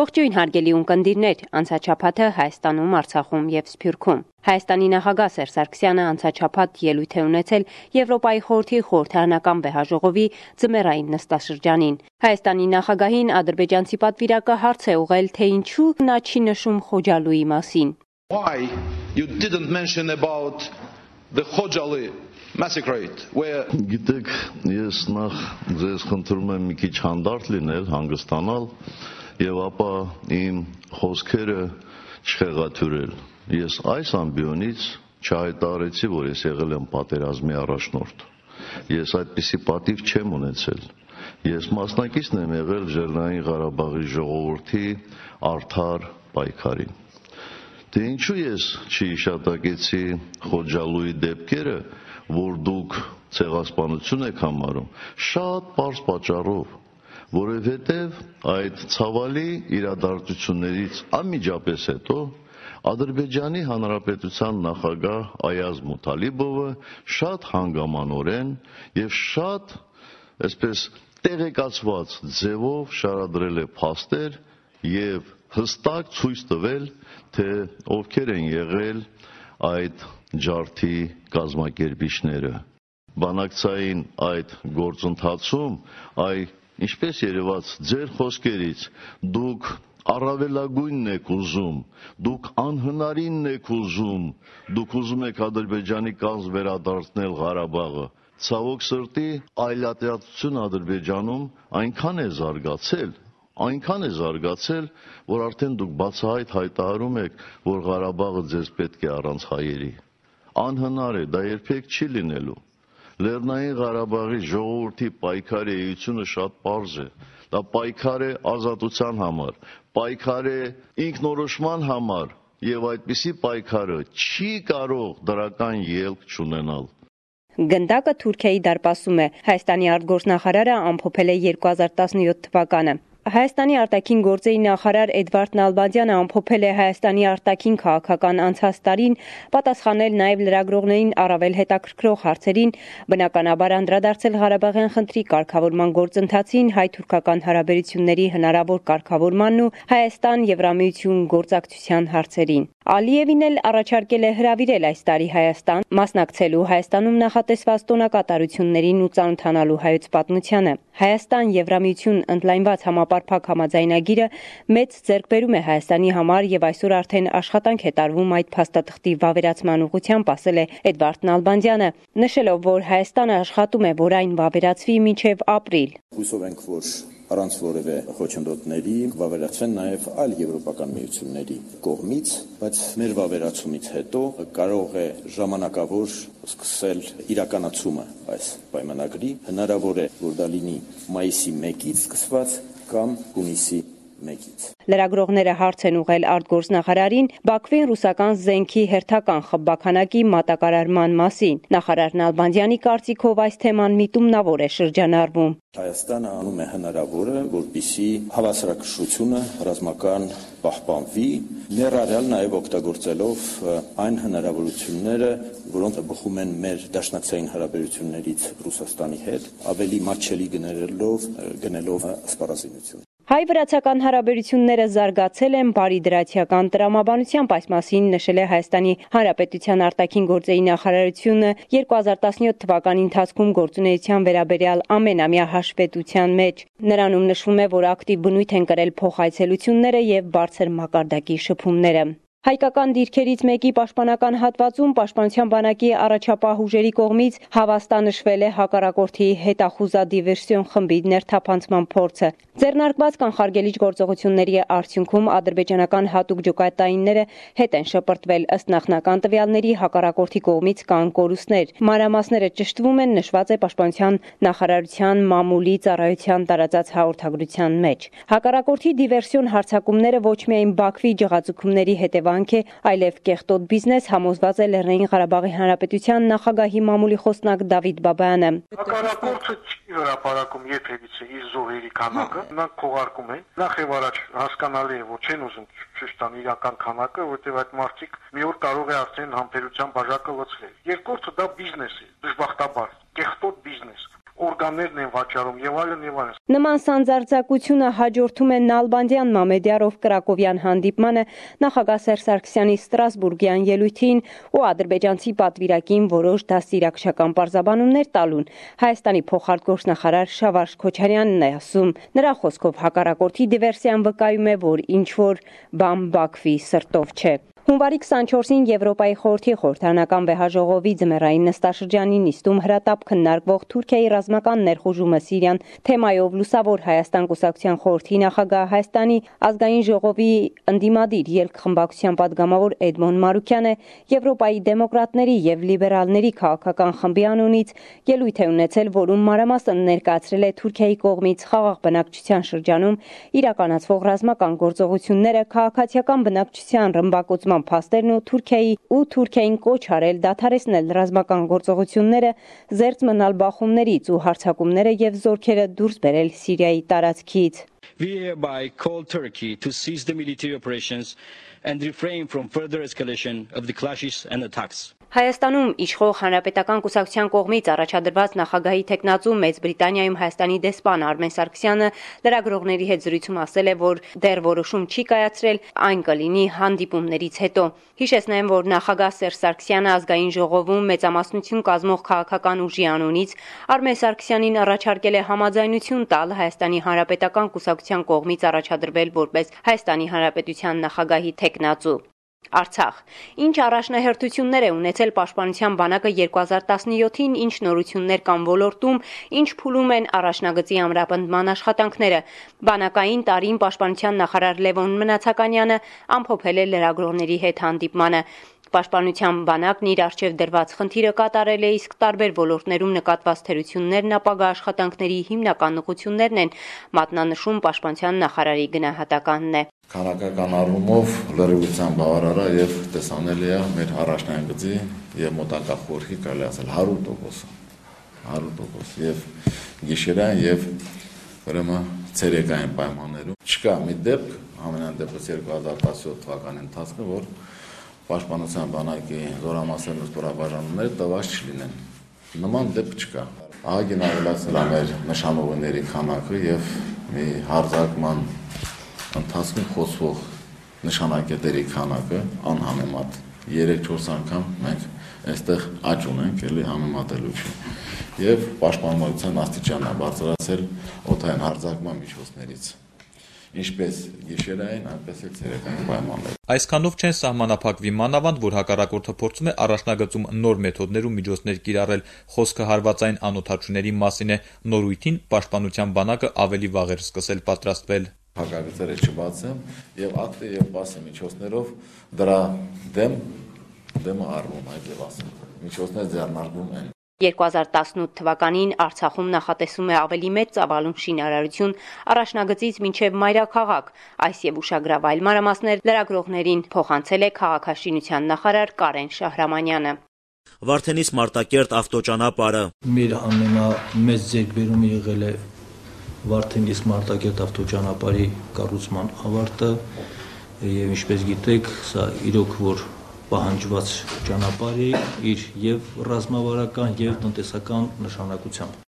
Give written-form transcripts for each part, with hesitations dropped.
Ողջույն հարգելի ունկնդիրներ, անցաչափաթը Հայաստանում, Արցախում եւ Սփյուռքում։ Հայաստանի նախագահ Սերժ Սարգսյանը անցաչափաթ ելույթ է ունեցել Եվրոպայի խորհրդի խորհրդարանական վեհաժողովի ձմեռային նստաշրջանին։ Հայաստանի նախագահին ադրբեջանցի պատվիրակը հարց է ուղղել, թե ինչու նա չի նշում Խոջալույի մասին։ Why you didn't mention about the Khojaly massacre where Գիտեք, ես նախ ձեզ խնդրում եմ մի քիչ հանդարտ լինել, հանգստանալ եւ ապա իմ խոսքերը չխեղաթյուրել։ Ես այս ամբիոնից չհայտարարեցի, որ ես եղել եմ պատերազմի առաջնորդ։ Ես այդպիսի պատիվ չեմ ունեցել։ Ես մասնակիցն եմ եղել Լեռնային Ղարաբաղի ժողովրդի արդար պայքարին։ Դե ինչու ես չհիշատակեցի Խոջալույի դեպքերը, որ դուք ցեղասպանություն եք համարում, շատ պարզ պատճառով, որովհետև այդ ցավալի իրադարձություններից անմիջապես հետո Ադրբեջանի Հանրապետության նախագահ Այազ Մութալիբովը շատ հանգամանորեն եւ շատ այսպես տեղեկացված ձևով շարադրել է փաստեր եւ հստակ ցույց տվել, թե ովքեր են եղել այդ ջարդի կազմակերպիչները։ Բանակցային այդ գործընթացում ինչպես երևաց ձեր խոսքերից, դուք առավելագույնն եք ուզում, դուք անհնարինն եք ուզում, դուք ուզում եք Ադրբեջանի կազմ վերադարձնել Ղարաբաղը։ Ցավոք սրտի այլատիացություն Ադրբեջանում այնքան է զարգացել, որ արդեն դուք բացահայտ հայտարարում եք, որ Ղարաբաղը ձեզ պետք է առանց հայերի։ Անհնար է, դա երբեք չի լինելու։ Լեռնային Ղարաբաղի ժողովրդի պայքարի էությունը շատ պարզ է։ Դա պայքար է ազատության համար, պայքար է ինքնորոշման համար, եւ այդպիսի պայքարը չի կարող դրական ելք չունենալ։ Գնդակը Թուրքիայի դարպասում է։ Հայաստանի արտգործնախարարը ամփոփել է 2017 թվականը։ Հայաստանի արտաքին գործերի նախարար Էդվարդ Նալբանդյանը ամփոփել է Հայաստանի արտաքին քաղաքական անցած տարին, պատասխանել նաև լրագրողներին առավել հետաքրքրող հարցերին, բնականաբար անդրադարձել Ղարաբաղյան խնդրի կարգավորման գործընթացին, հայ-թուրքական հարաբերությունների հնարավոր կարգավորմանն ու Հայաստան-Եվրամիություն գործակցության հարցերին։ Ալիևին էլ առաջարկել է հրավիրել այս տարի Հայաստան, մասնակցելու Հայաստանում նախատեսված տոնակատարություններին ու ծանոթանալու հայոց պատմությանը։ Հայաստան-Եվրամիություն ընդլայնված համապարփակ համաձայնագիրը մեծ ձեռքբերում է Հայաստանի համար եւ այսօր արդեն աշխատանք է տարվում այդ փաստաթղթի վավերացման ուղղությամբ, ասել է Էդվարդ Նալբանդյանը, նշելով, որ Հայաստանը աշխատում է, որ այն վավերացվի մինչև ապրիլ։ Հույսով ենք, որ առանց որևէ խոչընդոտների վավերացվեն նաև այլ եվրոպական միությունների կողմից, բայց մեր վավերացումից հետո կարող է ժամանակավոր սկսել իրականացումը այս պայմանագրի, հնարավոր է, որ դա լինի մայիսի 1-ից սկսված կամ հունիսի 1-ից։ Լրագրողները հարց են ուղղել արտգործնախարարին Բաքվին ռուսական զենքի հերթական խմբաքանակի մատակարարման մասին։ Նախարար Նալբանդյանի կարծիքով այս թեման միտումնավոր է շրջանառվում։ Հայաստանը անում է հնարավորը, որպեսզի հավասարակշռությունը ռազմական պահպանվի, ներառյալ նաև օգտագործելով այն հնարավորությունները, որոնք բխում են մեր դաշնակցային հարաբերություններից Ռուսաստանի հետ, ավելի մատչելի գնելով սպառազինություն։ Հայ-վրացական հարաբերությունները զարգացել են բարիդրացիական տրամաբանությամբ, այս մասին նշել է Հայաստանի Հանրապետության արտաքին գործերի նախարարությունը 2017 թվականի ընթացքում գործունեության վերաբերյալ ամենամյա հաշվետվության մեջ։ Նրանում նշվում է, որ ակտիվ բնույթ են կրել փոխայցելությունները եւ բարձր մակարդակի շփումները։ Հայկական դիրքերից մեկի պաշտպանական հատվածում Պաշտպանության բանակի առաջապահ ուժերի կողմից հավաստանշվել է հակառակորդի հետախուզադիվերսիոն խմբի ներթափանցման փորձը։ Ձեռնարկված կանխարգելիչ գործողությունների արդյունքում ադրբեջանական հատուկ ջոկատայինները հետ են շպրտվել, ըստ նախնական տվյալների հակառակորդի կողմից կան կորուստներ։ Մանրամասները ճշտվում են, նշված է Պաշտպանության նախարարության մամուլի ծառայության տարածած հաղորդագրության մեջ։ Հակառակորդի դիվերսիոն հարձակումները ոչ միայն Բաքվի ջղացուցումների հետևանք է, այլև կեղտոտ բիզնես, համոզված է Լեռնային Ղարաբաղի Հանրապետության նախագահի մամուլի խոսնակ Դավիթ Բաբայանը։ Հակառակորդը չի հրապարակում երբևիցե իր զոհերի քանակը, նրանք քողարկում են։ Նախ եւ առաջ հասկանալի է, որ չեն ուզում ճիշտ ան իրական քանակը, որտեղ այդ մարդիկ մի օր կարող է արդեն համբերության բաժակը լցվել։ Երկրորդը դա բիզնես է, դժբախտաբար, կեղտոտ բիզնես։ օրգաններն են վաճառում եւ այլն եւ այլն։ Նման սանձարձակությունը հաջորդում է Նալբանդյան Մամեդյարով Կրակովյան հանդիպմանը, նախագահ Սերժ Սարգսյանի Ստրասբուրգյան ելույթին ու ադրբեջանցի պատվիրակին որոշ դաստիարակչական պարզաբանումներ տալուն։ Հայաստանի փոխարտգործնախարար Շավարժ Քոչարյանն է ասում. նրա խոսքով հակառակորդի դիվերսիան վկայում է, որ ինչ-որ բան Բաքվի սրտով չէ։ Հունվարի 24-ին Եվրոպայի խորհրդի խորհրդարանական վեհաժողովի ձմեռային նստաշրջանի նիստում հրատապ քննարկվող Թուրքիայի ռազմական ներխուժումը Սիրիան թեմայով Լուսավոր Հայաստան կուսակցության խորհրդի նախագահ Հայաստանի ազգային ժողովի ընդդիմադիր ելք խմբակցության падգամավոր Էդմոն Մարուկյանը Եվրոպայի դեմոկրատների եւ լիբերալների քաղաքական խմբի անունից ելույթ է ունեցել, որում մանրամասն ներկայացրել է Թուրքիայի կողմից խաղաղ բնակչության շրջանում իրականացվող ռազմական գործողությունները, քաղաքացիական բնակչության ռմբակոծման փաստերն ու Թուրքիային կոչ արել դադարեցնել ռազմական գործողությունները, զերծ մնալ բախումներից ու հարձակումները եւ զորքերը դուրս բերել Սիրիայի տարածքից։ We hereby call Turkey to cease the military operations and refrain from further escalation of the clashes and attacks. Հայաստանում իշխող Հանրապետական կուսակցության կողմից առաջադրված նախագահի թեկնածու Մեծ Բրիտանիայում Հայաստանի դեսպան Արմեն Սարգսյանը լրագրողների հետ զրույցում ասել է, որ դեռ որոշում չի կայացրել, այն կլինի հանդիպումներից հետո։ Հիշեցնեմ, որ նախագահ Սերժ Սարգսյանը ազգային ժողովում մեծամասնություն կազմող քաղաքական ուժի անունից Արմեն Սարգսյանին առաջարկել է համաձայնություն տալ Հայաստանի Հանրապետական կուսակցության կողմից առաջադրվել որպես Հայաստանի Հանրապետության նախագահի թեկնածու։ Արցախ. Ինչ առաջնահերթություններ է ունեցել Պաշտպանության բանակը 2017-ին, ինչ նորություններ կան ոլորտում, ինչ փուլում են առաջնագծի ամրապնդման աշխատանքները։ Բանակային տարին Պաշտպանության նախարար Լևոն Մնացականյանը ամփոփել է լրագրողների հետ հանդիպմանը։ Պաշտպանության բանակն իր առջև դրված խնդիրը կատարել է, իսկ տարբեր ոլորտներում նկատված թերություններն ապագա աշխատանքների հիմնական ուղղություններն են, մատնանշում Պաշտպանության նախարարի գնահատականն է։ Քանակական առումով լրիվության բավարար է եւ տեսանելի է մեր առաջնագծի եւ մոտակա խորհրդի կարելի ասել 100% եւ գիշերային եւ ուրեմն ցերեկային պայմաններում չկա մի դեպք ամենանդեպս 2017 թվականի ընթացքում, որ Պաշտպանության բանակի զորամասերն ու ստորաբաժանումները տված չլինեն։ Նման դեպք չկա։ Ահագին ավելացել է մեր նշանողների քանակը եւ մի հարձակման ընթացքում խոսվող նշանակետերի քանակը անհամեմատ 3-4 անգամ մենք այստեղ աճ ունենք, էլի համեմատելուց։ Եվ պաշտպանության աստիճանն է բարձրացել օդային հարձակման միջոցներից։ Ինչպես գիշերային, այնպես էլ ցերեկային պայմաններ։ Այսքանով չեն սահմանափակվի մանավանդ, որ հակառակորդը փորձում է առաջնագծում նոր մեթոդներ ու միջոցներ կիրառել։ Խոսքը հարվածային անօդաչուների մասին է։ Նորույթին Պաշտպանության բանակը ավելի վաղ էր սկսել պատրաստվել։ Հակագծերը չբացեմ եւ ակտի եւ պասի միջոցներով դրա դեմը առնում այդ եւ ասեմ։ Միջոցներ ձեռնարկվում են։ 2018 թվականին Արցախում նախատեսում է ավելի մեծ ծավալուն շինարարություն առաջնագծից մինչև մայրաքաղաք։ Այս եւ ուշագրավ այլ մանրամասներ լրագրողներին փոխանցել է քաղաքաշինության նախարար Կարեն Շահրամանյանը։ Վարդենիս Մարտակերտ ավտոճանապարհը մեր ամենամեծ ձեռքբերումը եղել է Վարդենիս Մարտակերտ ավտոճանապարհի կառուցման ավարտը եւ ինչպես գիտեք, սա իրոք որ պահանջված ճանապարհ է իր եւ ռազմավարական եւ տնտեսական նշանակությամբ։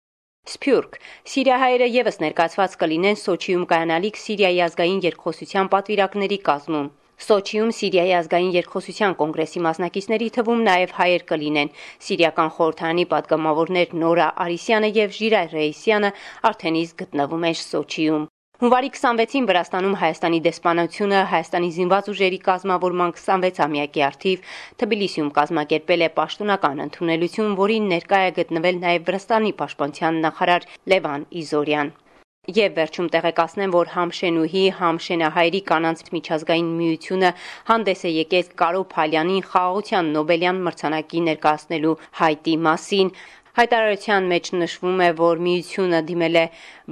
Սփյուռք. Սիրիահայերը եւս ներկայացված կլինեն Սոչիում կայանալիք Սիրիայի ազգային երկխոսության պատվիրակների կազմում։ Սոչիում Սիրիայի ազգային երկխոսության կոնգրեսի մասնակիցների թվում նաև հայեր կլինեն։ Սիրիական խորհրդարանի падգամավորներ Նորա Արիսյանը եւ Ժիրայր Ռեյսյանը արդեն իսկ գտնվում են Սոչիում։ Հունվարի 26-ին Վրաստանում Հայաստանի դեսպանությունը Հայաստանի զինված ուժերի կազմավորման 26-ամյակի առթիվ Թբիլիսիում կազմակերպել է պաշտոնական ընդունելություն, որին ներկա է գտնվել նաև Վրաստանի պաշտպանության նախարար Լևան Իզորյան։ Եվ վերջում տեղեկացնեմ, որ Համշենուհի Համշենահայերի կանանց միջազգային միությունը հանդես է եկել Կարո Փալյանին խաղաղության Նոբելյան մրցանակի ներկայացնելու հայտի մասին։ Հայտարարության մեջ նշվում է, որ միությունը դիմել է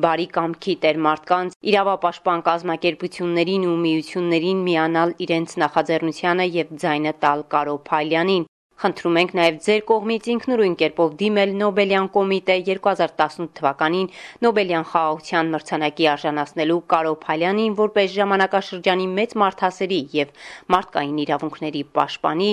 բարի կամքի տերմարդկանց, իրավապաշտպան կազմակերպություններին ու միություններին միանալ իրենց նախաձեռնությանը եւ ձայնը տալ Կարո Փալյանին։ Խնդրում ենք նաև ձեր կողմից ինքնուրույն կերպով դիմել Նոբելյան կոմիտե 2018 թվականին Նոբելյան խաղաղության մրցանակի արժանացնելու Կարո Փալյանին որպես ժամանակաշրջանի մեծ մարդասերի եւ մարդկային իրավունքների պաշտպանի,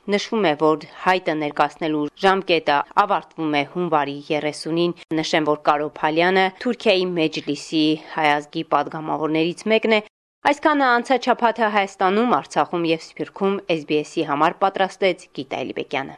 Նշվում է, որ հայտը ներկայացնելու ժամկետը ավարտվում է հունվարի 30-ին։ Նշեմ, որ Կարո Փալյանը Թուրքիայի Մեջլիսի հայազգի падգամավորներից մեկն է։ Այսքանը անցած շաբաթը Հայաստանում, Արցախում եւ Սփյուռքում SBS-ի համար պատրաստեց Գիտա Էլիբեկյանը։